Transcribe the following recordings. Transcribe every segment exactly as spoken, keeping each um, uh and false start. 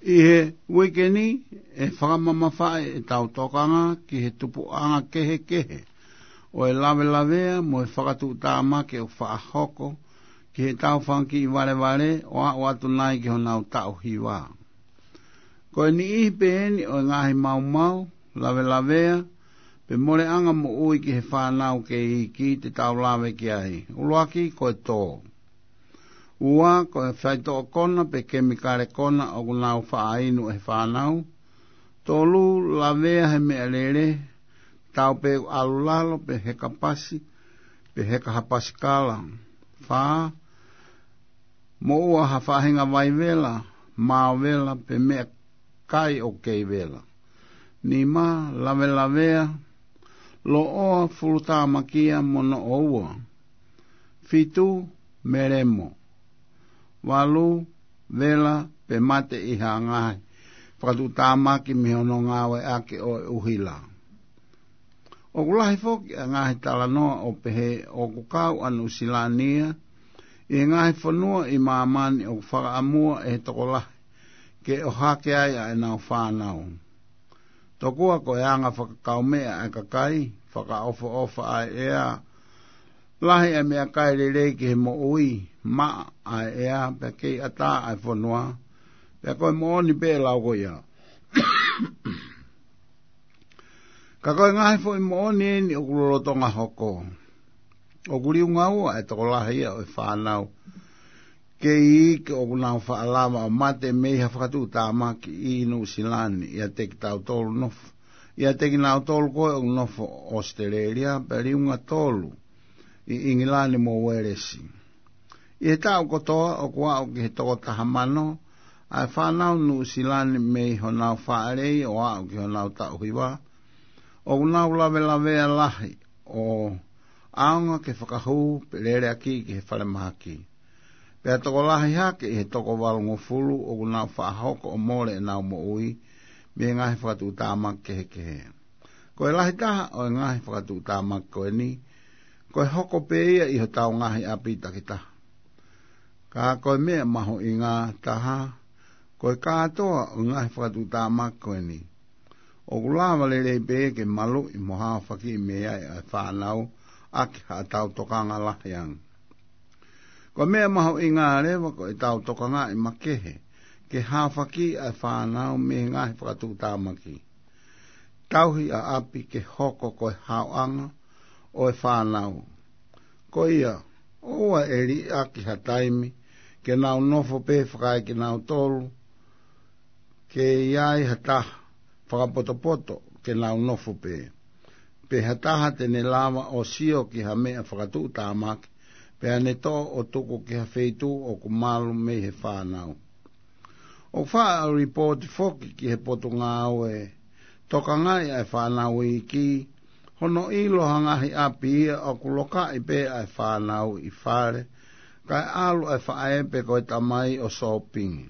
ʻI he uike ni, ʻe fakamamafaʻi ʻetau tokanga ki he tupuʻanga kehekehe ʻo e lavelavea mo e fakatuʻutāmaki ʻoku faʻa hoko ki heʻetau fanga kiʻi valevale ʻo aʻu atu nai ki honau taʻu hiva. Ko e niʻihi pē eni ʻo e ngaahi maumau, lavelavea, pe moleʻanga moʻui ki he fānau kei iiki te tau lave ki ai. ʻUluaki ko e tō. Ua, ko e faitoʻo kona pe kemikale kona ʻoku nau faʻa inu ʻe he fānau. Tolu, lavea he meʻalele, tatau pē ʻoku ʻalu lalo pe heka pasi, pe heka ha pasikala. Fā, moʻua ha faʻahinga vai vela, mao vela, pe meʻakai ʻoku kei vela. Nima, lavelavea, loʻoa, fulutāmakia mo noʻoua. Fitu, melemo. Valu, vela pe mate ʻi ha ngaahi fakatuʻutāmaki mei hono ngāueʻaki ʻo e ʻuhila. ʻOku lahi foki ʻa e ngaahi talanoa ʻo pehē ʻoku kau ʻa Nuʻusila ni ia ʻi he ngaahi fonua ʻi māmani ʻoku fakaʻamua ʻe he tokolahi ke ʻohake ai ʻa ʻenau fānau. Tokua ko e anga fakakaumeʻa ʻa e kakai, fakaʻofoʻofa ʻa e ʻea, lahi ʻa e meʻakai lelei ki he moʻui, maʻa ʻa e ʻea, pea kei ʻatā ʻa e fonua, pea ko e moʻoni pē lau ko ia. Ka ko e ngaahi foʻi moʻoni eni ʻoku lolotonga hoko. ʻOku liunga ua ʻa e tokolahi ia ʻo e fānau kei iiki ʻoku nau faʻa lava ʻo mate mei ha fakatuʻutāmaki ʻi Nuʻusila ni, ʻiate kitautolu nofo, ʻiate kinautolu ko ē ʻoku nofo ʻAositelēlia, pea liunga tolu ʻi ʻIngilani mo Uēlesi. ʻI he taʻu kotoa ʻoku aʻu ki he toko taha mano ʻa e fānau Nuʻusila ni mei honau faʻa lelei ʻo aʻu ki honau taʻu hiva, ʻoku nau lavelavea lahi ʻo ʻaonga ke fakahū pe lele ʻaki ki he falemahaki. Pea tokolahi hake ʻi he toko valungofulu ʻoku nau faʻa hoko ʻo mole ʻenau moʻui mei he ngaahi fakatuʻutāmaki kehekehe. Ko e lahi taha ʻo e ngaahi fakatuʻutāmaki ko eni, ko e hoko pē ia ʻi hotau ngaahi ʻapi takitaha. Ka ko e meʻa mahuʻinga taha, ko e kātoa ʻo e ngaahi fakatuʻutāmaki ko eni, ʻoku lava lelei pē ke maluʻi mo haofakiʻi mei ai ʻa e fānau ʻaki haʻatau tokanga lahi ange. Ko e meʻa mahuʻinga leva ko ʻetau tokangaʻi makehe ke haofakiʻi ʻa e fānau mei he ngaahi fakatuʻutāmaki. Tauhi ʻa ʻapi ke hoko ko e haoʻanga ʻo e fānau. Ko ia, ʻoua ʻe liʻaki ha taimi ke nau nofo pē fakaekinautolu, ke ʻi ai ha taha fakapotopoto ke nau nofo pē, pe ha taha te ne lava ʻo sio ki ha meʻa fakatuʻutāmaki, pea ne toʻo ʻo tuku ki ha feituʻu ʻoku malu mei he fānau. ʻOku faʻa lipooti foki ki he Potungāue Tokangaʻi ʻa e Fānau Iiki hono ʻilo ha ngaahi ʻapi ia ʻoku lokaʻi pē ʻa e fānau ʻi fale, kae ʻalu ʻa e faʻē pe ko e tamai ʻo sōpingi,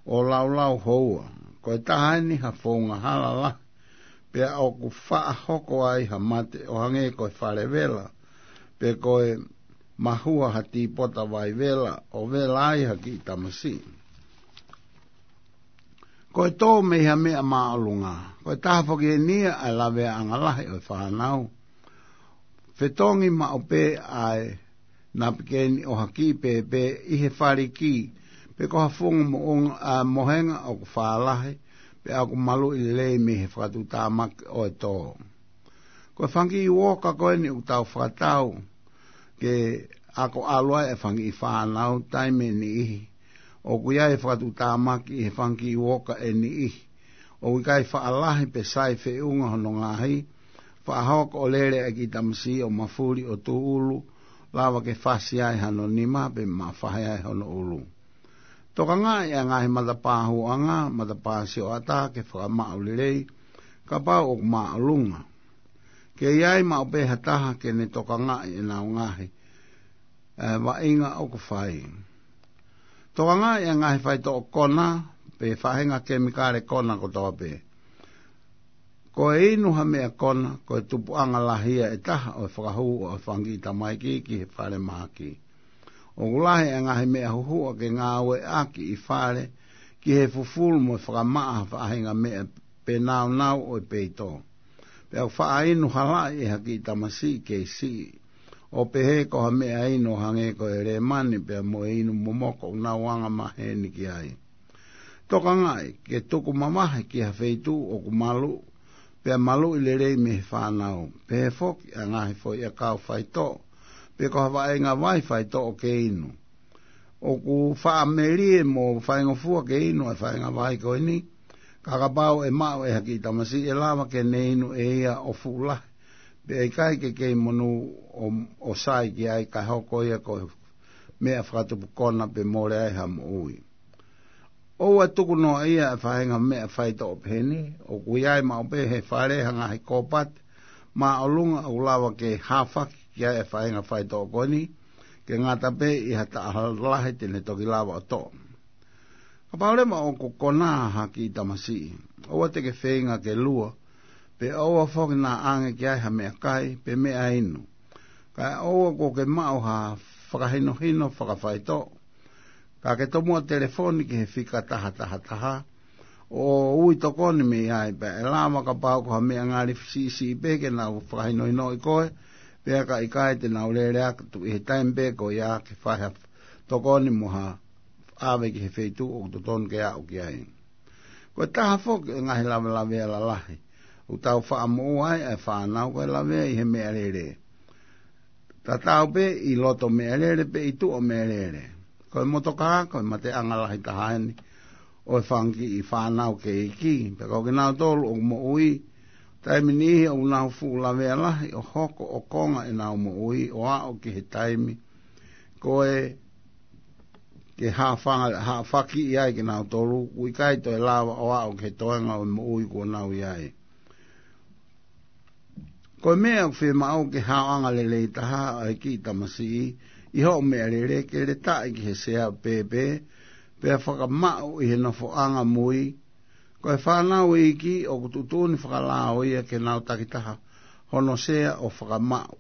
ʻo laulau houa. Ko e taha eni ha founga hala lahi, pea ʻoku faʻa hoko ai ha mate ʻo hangē ko e fale vela, pe ko e mahua ha tīpota vai vela, ʻo vela ai ha kiʻi tamasiʻi. Ko e tō mei ha meʻa māʻolunga. Ko e taha foki eni ia ʻa e laveaʻanga lahi ʻo e fānau. Fetongi maʻu pē ʻa e napikeni ʻo ha kiʻi pēpē ʻi he faliki, pe ko ha funga moʻunga, ʻa, mohenga ʻoku fālahi, pe ʻoku maluʻi lelei mei he fakatuʻutāmaki ʻo e tō. Ko e fanga kiʻi uoka ko eni ʻoku tau fakatau ke ako ʻalu ai e fanga kiʻi fānau taimi ʻe niʻihi. ʻOku ʻi ai e fakatuʻutāmaki ʻi he fanga kiʻi uoka ʻe niʻihi ʻoku ʻikai faʻa lahi pe sai feʻunga hono ngaahi, faʻa hoko ʻo lele ʻa e kiʻi tamasiʻi ʻo mafuli ʻo tūʻulu, lava ke fasi ai hano nima pe mafahi ai hono ʻulu. Tokangaʻi ʻa e ngaahi matapā hūʻanga, matapā sioʻata ke fakamaʻu lelei, kapau ʻoku māʻolunga. Ke ʻi ai maʻu pē ha taha ke ne tokangaʻi ʻenau ngaahi, ʻe, vaʻinga ʻoku fai. Tokangaʻi ʻa e ngaahi faitoʻo kona, pe faʻahinga kemikale kona kotoa pē. Ko e inu ha meʻa kona, ko e tupuʻanga lahi ia ʻe taha ʻo e fakahū ʻo e fanga kiʻi tamaiki ki he falemahaki. ʻOku lahi ʻa e ngaahi meʻa huhuʻa ke ngāueʻaki ʻi fale, ki he fufulu mo e fakamaʻa ha faʻahinga meʻa pe naunau ʻo e peito. Pea ʻoku faʻa inu halaʻi ʻe ha kiʻi tamasiʻi kei siʻi, ʻo pehē ko ha meʻa inu ʻo hangē ko e lēmani pea mo e inu momoko ʻoku nau anga maheni ki ai. Tokangaʻi ke tuku mamahi ki ha feituʻu ʻoku malu, pea maluʻi lelei mei he fānau. Pehē foki ʻa e ngaahi foʻi ʻakau faitoʻo, pe ko ha vaʻinga vai faitoʻo ke inu. ʻOku faʻa melie mo faingofua ke inu ʻa e vaʻinga vai ko eni, ka kapau ʻe maʻu ʻe ha kiʻi tamasiʻi ʻe lava ke ne inu ʻe ia ʻo fuʻu lahi, pea ʻikai ke kei monū ʻo, ʻo sai ki ai kae hoko ia ko e meʻa fakatupu kona pe mole ai ha moʻui. ʻOua tuku noa ia ʻa e faʻahinga meʻa faitoʻo peheni, ʻoku ʻi ai maʻu pē he fale ha ngaahi kōpati māʻolunga ʻoku lava ke hāfaki ki ai ʻa e faʻahinga faitoʻo ko eni, ke ngata pē ʻi ha taʻahalahi te ne toki lava ʻo toʻo. Kapau leva ʻoku kona ha kiʻi tamasiʻi, ʻoua te ke feinga ke lua, pe ʻoua foki naʻa ʻange ki ai ha meʻakai, pe meʻa inu. Kae ʻoua kuo ke maʻu ha fakahinohino fakafaitoʻo, ka ke tomuʻa telefoni ki he fika taha taha taha, ʻo ui tokoni mei ai pea ʻe lava kapau ko ha meʻa ngali siʻisiʻi pē ke nau fakahinohinoʻi koe, pea ka ʻikai te nau lele atu ʻi he taimi pē ko ia ke fai ha tokoni mo ha ʻave ki he feituʻu ʻoku totonu ke aʻu ki ai. Ko e taha foki ʻo e ngaahi lavelavea lalahi ʻoku tau faʻa moʻua ai ʻa e fānau ko e lavea ʻi he meʻalele. Tatau pē ʻi loto meʻalele pe ʻi tuʻa meʻalele. Ko e motokā, ko e mateʻanga lahi taha eni ʻo e fanga kiʻi fānau kei iiki, pea ko kinautolu ʻoku moʻui, taimi niʻihi ʻoku nau fuʻu lavea lahi ʻo hoko ʻo konga ʻenau moʻui ʻo aʻu ki he taimi ko ē ke hāfanga, hāfakiʻi ai kinautolu, ʻoku ʻikai toe lava ʻo aʻu ki he toenga ʻo e moʻui kuo nau ʻi ai. Ko e meʻa ʻoku fiemaʻu ke haoʻanga lelei taha ʻa e kiʻi tamasiʻi ʻi hoʻo meʻalele ke letaʻi ki he sea pēpē, pea fakamaʻu ʻi he nofoʻanga mui. Ko e fānau iiki ʻoku tuʻutuʻuni fakalao ia ke nau takitaha hono sea ʻo fakamaʻu.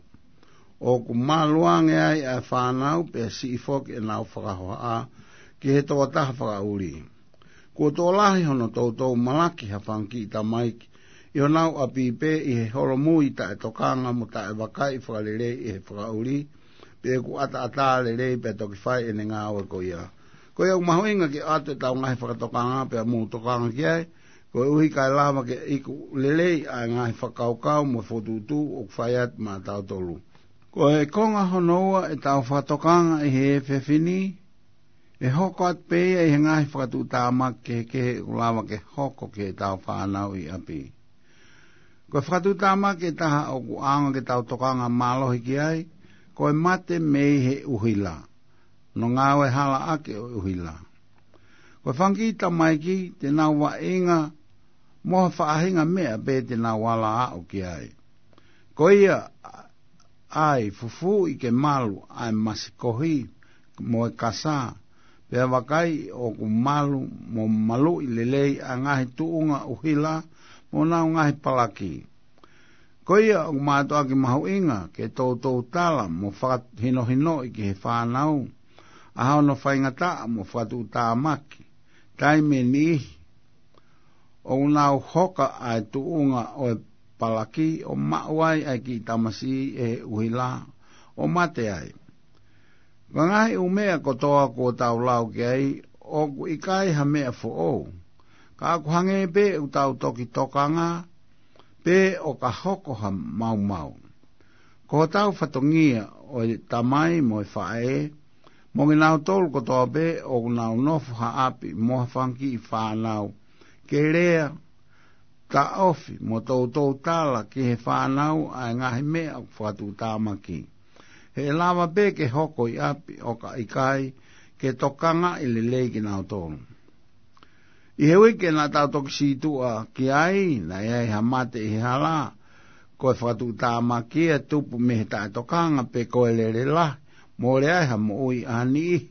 ʻOku malu ange ai ʻa e fānau pea siʻi foki ʻenau fakahohaʻa ki he tokotaha fakaʻuli. Kuo tokolahi hono toutou malaki ha fanga kiʻi tamaiki ʻi honau ʻapi pē ʻi he holomui taʻetokanga mo taʻevakai fakalelei ʻe he fakaʻuli, pe ʻoku ʻataʻatā lelei pea toki fai ʻene ngāue ko ia. Ko ia ʻoku mahuʻinga ke ʻoatu ʻetau ngaahi fakatokanga pea mou tokanga ki ai, koeʻuhi kae lava ke iku lelei ʻa e ngaahi fakakaukau mo e fokotuʻutuʻu ʻoku fai atu maʻatautolu. Ko e konga hono ua ʻetau fakatokanga ʻi he efiafi ni, ʻe hoko atu pē ia ʻi he ngaahi fakatuʻutāmaki kehekehe ʻoku lava ke hoko ki heʻetau fānau ʻi ʻapi. Ko e fakatuʻutāmaki ʻe taha ʻoku ʻaonga ke tau tokanga mālohi ki ai, ko e mate mei he ʻuhila. Hono ngāue halaʻaki ʻo e ʻuhila. Ko e fanga kiʻi tamaiki te nau vaʻinga mo ha faʻahinga meʻa pē te nau ala aʻu ki ai. Ko ia, ʻai fufuuʻi ke malu ʻa e masikohi mo e kasā, pea vakai ʻoku malu mo maluʻi lelei ʻa e ngaahi tuʻunga ʻuhila mo honau ngaahi palaki. Ko ia ʻoku mātuʻaki mahuʻinga ke toutou tala mo fakahinohinoʻi ki he fānau ʻa hono faingataʻa mo fakatuʻutāmaki. Taimi ʻe niʻihi ʻoku nau hoka ʻa e tuʻunga ʻo e palaki ʻo maʻu ai ʻa e kiʻi tamasiʻi ʻe he ʻuhila ʻo mate ai. Ko e ngaahi ʻū meʻa kotoa kuo tau lau ki ai ʻoku ʻikai ha meʻa foʻou. Ka ʻoku hangē pē ʻoku tau toki tokanga pē ʻo ka hoko ha maumau. Ko hotau fatongia ʻo e tamai mo e faʻē, mo kinautolu kotoa pē ʻoku nau nofo ha ʻapi mo ha fanga kiʻi fānau, ke lea, taʻofi mo toutou tala ki he fānau ʻa e ngaahi meʻa ʻoku fakatuʻutāmaki. He ʻe lava pē ke hoko ʻi ʻapi ʻo ka ʻikai ke tokangaʻi lelei kinautolu. ʻI he uike naʻa tau toki sītuʻa ki ai, naʻe ʻi ai ha mate ʻi he hala, ko e fakatuʻutāmaki ia tupu mei he taʻetokanga pe ko e lele lahi, mole ai ha moʻui ʻa ha niʻihi.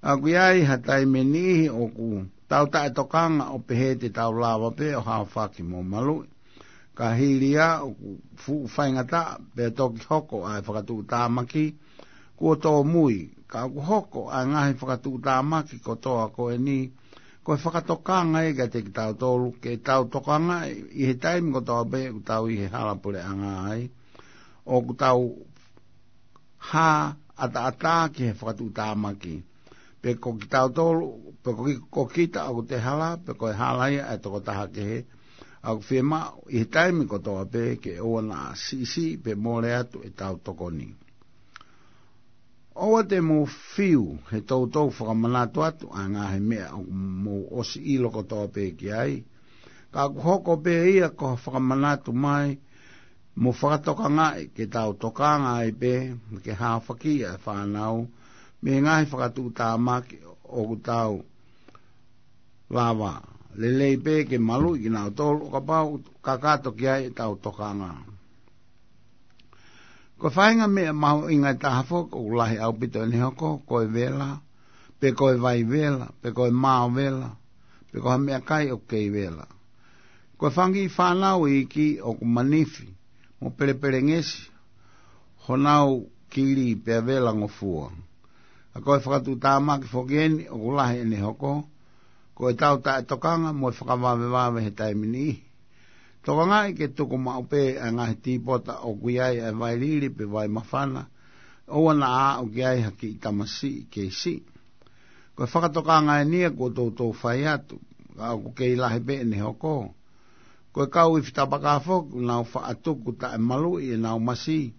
ʻOku ʻi ai ha taimi ʻe niʻihi ʻoku tau taʻetokanga ʻo pehē te tau lava pē ʻo haofaki mo maluʻi. Ka hili ia ʻoku fuʻu faingataʻa pea toki hoko ʻa e fakatuʻutāmaki kuo tōmui, ka ʻoku hoko ʻa e ngaahi fakatuʻutāmaki kotoa ko eni Ko e fakatokanga ia kiate kitautolu ke tau tokangaʻi ʻi he taimi kotoa pē ʻoku tau ʻi he hala puleʻanga ai, ʻoku tau hā ʻataʻatā ki he fakatuʻutāmaki. Pe ko kitautolu, pe ko ki-, ko kita ʻoku te hala, pe ko e hala ia ʻa e tokotaha kehe, ʻoku fiemaʻu ʻi he taimi kotoa pē ke ʻoua naʻa siʻisiʻi pe mole atu ʻetau tokoni. ʻOua te mou fiu he toutou fakamanatu atu ʻa e ngaahi meʻa ʻoku mou ʻosi ʻilo kotoa pē ki ai. Ka ʻoku hoko pē ia ko ha fakamanatu mai mo fakatokangaʻi ke tau tokanga ai pē ke haofaki ʻa e fānau mei he ngaahi fakatuʻutāmaki ʻoku tau lava lelei pē ke maluʻi kinautolu ʻo kapau kakato ki ai ʻetau tokanga. Ko e faʻahinga meʻa mahuʻinga ʻe taha foki ʻoku lahi ʻaupito ʻene hoko, ko e vela, pe ko e vai vela, pe ko e mao vela, pe ko ha meʻakai ʻoku kei vela. Ko e fanga kiʻi fānau iiki ʻoku manifi mo pelepelengesi honau kili pea vela ngofua. Ka ko e fakatuʻutāmaki foki eni ʻoku lahi ʻene hoko, ko ʻetau taʻetokanga mo e fakavavevave he taimi ni. Tokangaʻi ke tuku maʻu pē ʻa e ngaahi tīpota ʻoku ʻi ai ʻa e vai lili pe vai mafana, ʻoua naʻa aʻu ki ai ha kiʻi tamasiʻi kei siʻi. Ko e fakatokanga eni ia kuo toutou fai atu, ka ʻoku kei lahi pē ʻene hoko. Ko e kau ifi tapaka foki ʻoku nau faʻa tuku taʻemaluʻi ʻenau masi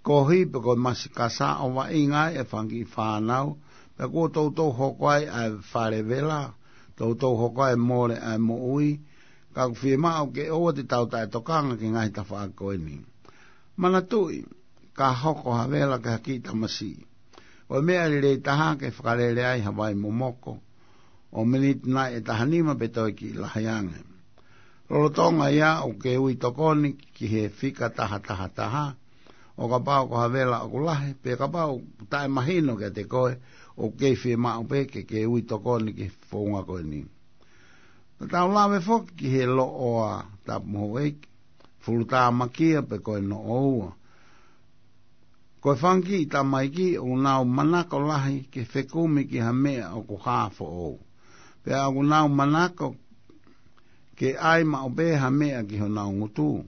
kohi pe ko e masi kasa ʻo vaʻinga ai e fanga kiʻi fānau, pea kuo toutou hoko ai ʻa e fale vela, toutou hoko ai e mole ʻa e moʻui, ka ʻoku fiemaʻu ke ʻoua te tau taʻetokanga ki he ngaahi tafaʻaki ko eni. Manatuʻi, ka hoko ha vela ki ha kiʻi tamasiʻi, ko e meʻa lelei taha ke fakalele ai ha vai momoko ʻo miniti nai ʻe taha nima pe toe kiʻi lahi ange. Lolotonga ia ʻoku ke ui tokoni ki he fika taha taha taha, ʻo kapau ko ha vela ʻoku lahi, pe kapau taʻemahino kiate koe ʻoku kei fiemaʻu pē ke ke ui tokoni ki he founga ko eni. Ka tau lave foki ki he loʻoa, tapu mo houʻeiki, fulutāmakia pe ko e noʻoua. Ko e fanga kiʻi tamaiki ʻoku nau manako lahi ke fekumi ki ha meʻa ʻoku hā foʻou. Pea ʻoku nau manako ke ʻai maʻu pē ha meʻa ki honau ngutu.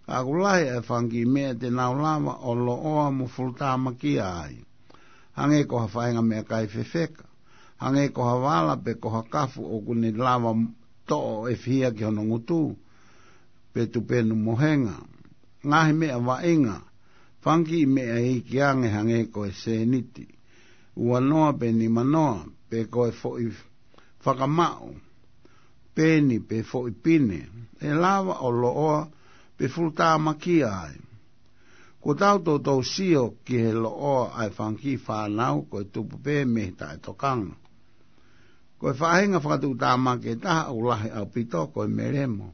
Ka ʻoku lahi ʻa e fanga kiʻi meʻa te nau lava ʻo loʻoa mo fulutāmakia ai. Hangē ko ha faʻahinga meʻakai fefeka. Hangē ko ha vala pe ko ha kafu ʻoku ne lava toʻo ʻe fihia ki hono ngutu pe tupenu mohenga. Ngaahi meʻa vaʻinga, fanga kiʻi meʻa iiki ange hangē ko e sēniti, ua noa pe nima noa, pe ko e foʻi fakamaʻu, peni pe foʻi pine, ʻe lava ʻo loʻoa pe fulutāmakia ai. Kuo tau toutou sio ki he loʻoa ʻa e fanga kiʻi fānau ko e tupu pē mei he taʻetokanga. Ko e faʻahinga fakatuʻutāmaki ʻe taha ʻoku lahi ʻaupito ko e melemo.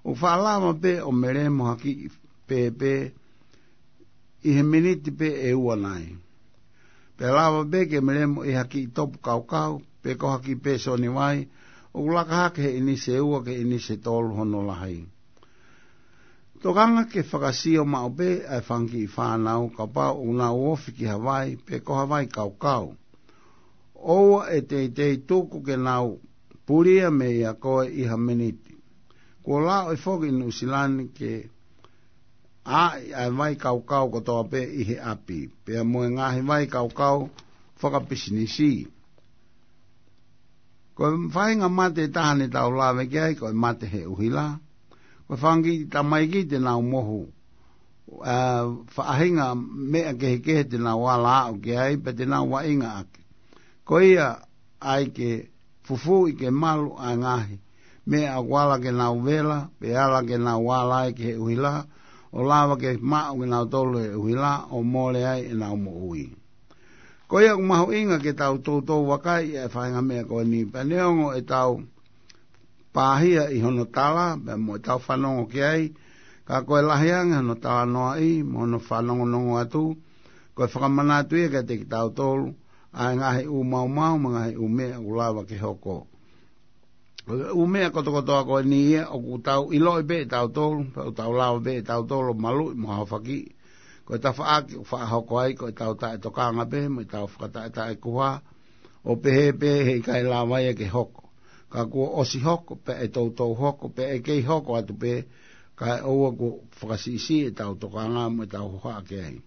ʻOku faʻa lava pē ʻo melemo ha kiʻi pēpē ʻi he miniti pē ʻe ua nai. Pea lava pē ke melemo ʻi ha kiʻi topu kaukau, pe ko ha kiʻi pēsoni vai ʻoku laka hake he ʻinisi ʻe ua ki he ʻinisi ʻe tolu hono lahi. Tokanga ke fakasio maʻu pē ʻa e fanga kiʻi fānau kapau ʻoku nau ofi ki ha vai pe ko ha vai kaukau. ʻOua ʻe teitei tuku ke nau pulia meia koe ʻi ha miniti. Kuo laʻu ʻe foki ʻi Nuʻu Sila ni ke ʻai ʻa e vai kaukau kotoa pē ʻi he ʻapi, pea mo e ngaahi vai kaukau fakapisinisi. Ko e faʻahinga mate ʻe taha ne tau lave ki ai, ko e mate he ʻuhila. Ko e fanga kiʻi tamaiki te nau mohu ʻa e faʻahinga meʻa kehekehe te nau ala aʻu ki ai, pe te nau vaʻinga ʻaki. Ko ia ʻai ke fufuuʻi ke malu ʻa e ngaahi meʻa ʻoku ala ke nau vela, pe ala ke nau ala ai ki he ʻuhila, ʻo lava ke maʻu kinautolu ʻe he ʻuhila, ʻo mole ai ʻenau moʻui. Ko ia ʻoku mahuʻinga ke tau toutou vakai ʻa e faʻahinga meʻa ko eni, pea neongo ʻetau pāhia ʻi hono tala, pea mo ʻetau fanongo ki ai, ka ko e lahi ange hono talanoaʻi, mo hono fanongonongo atu, ko e fakamanatu ia kiate kitautolu ʻa e ngaahi ʻū maumau, mo e ngaahi ʻū meʻa ʻoku lava ke hoko. Ko e ʻū meʻa kotokotoa ko eni ia ʻoku tau ʻiloʻi pē ʻe tautolu, pea ʻoku tau lava pē ʻe tautolu ʻo maluʻi mo haofaki. Ko e tafaʻaki ʻoku faʻa hoko ai, ko ʻetau taʻetokanga pē, mo ʻetau fakataʻetaʻekuha, ʻo pehē pē he ʻikai lava ia ke hoko. ka kuo ʻosi hoko, pea ʻe toutou hoko, pea ʻe kei hoko atu pē, kae ʻoua kuo fakasiʻisiʻi ʻetau tokanga mo ʻetau hohaʻa ki ai.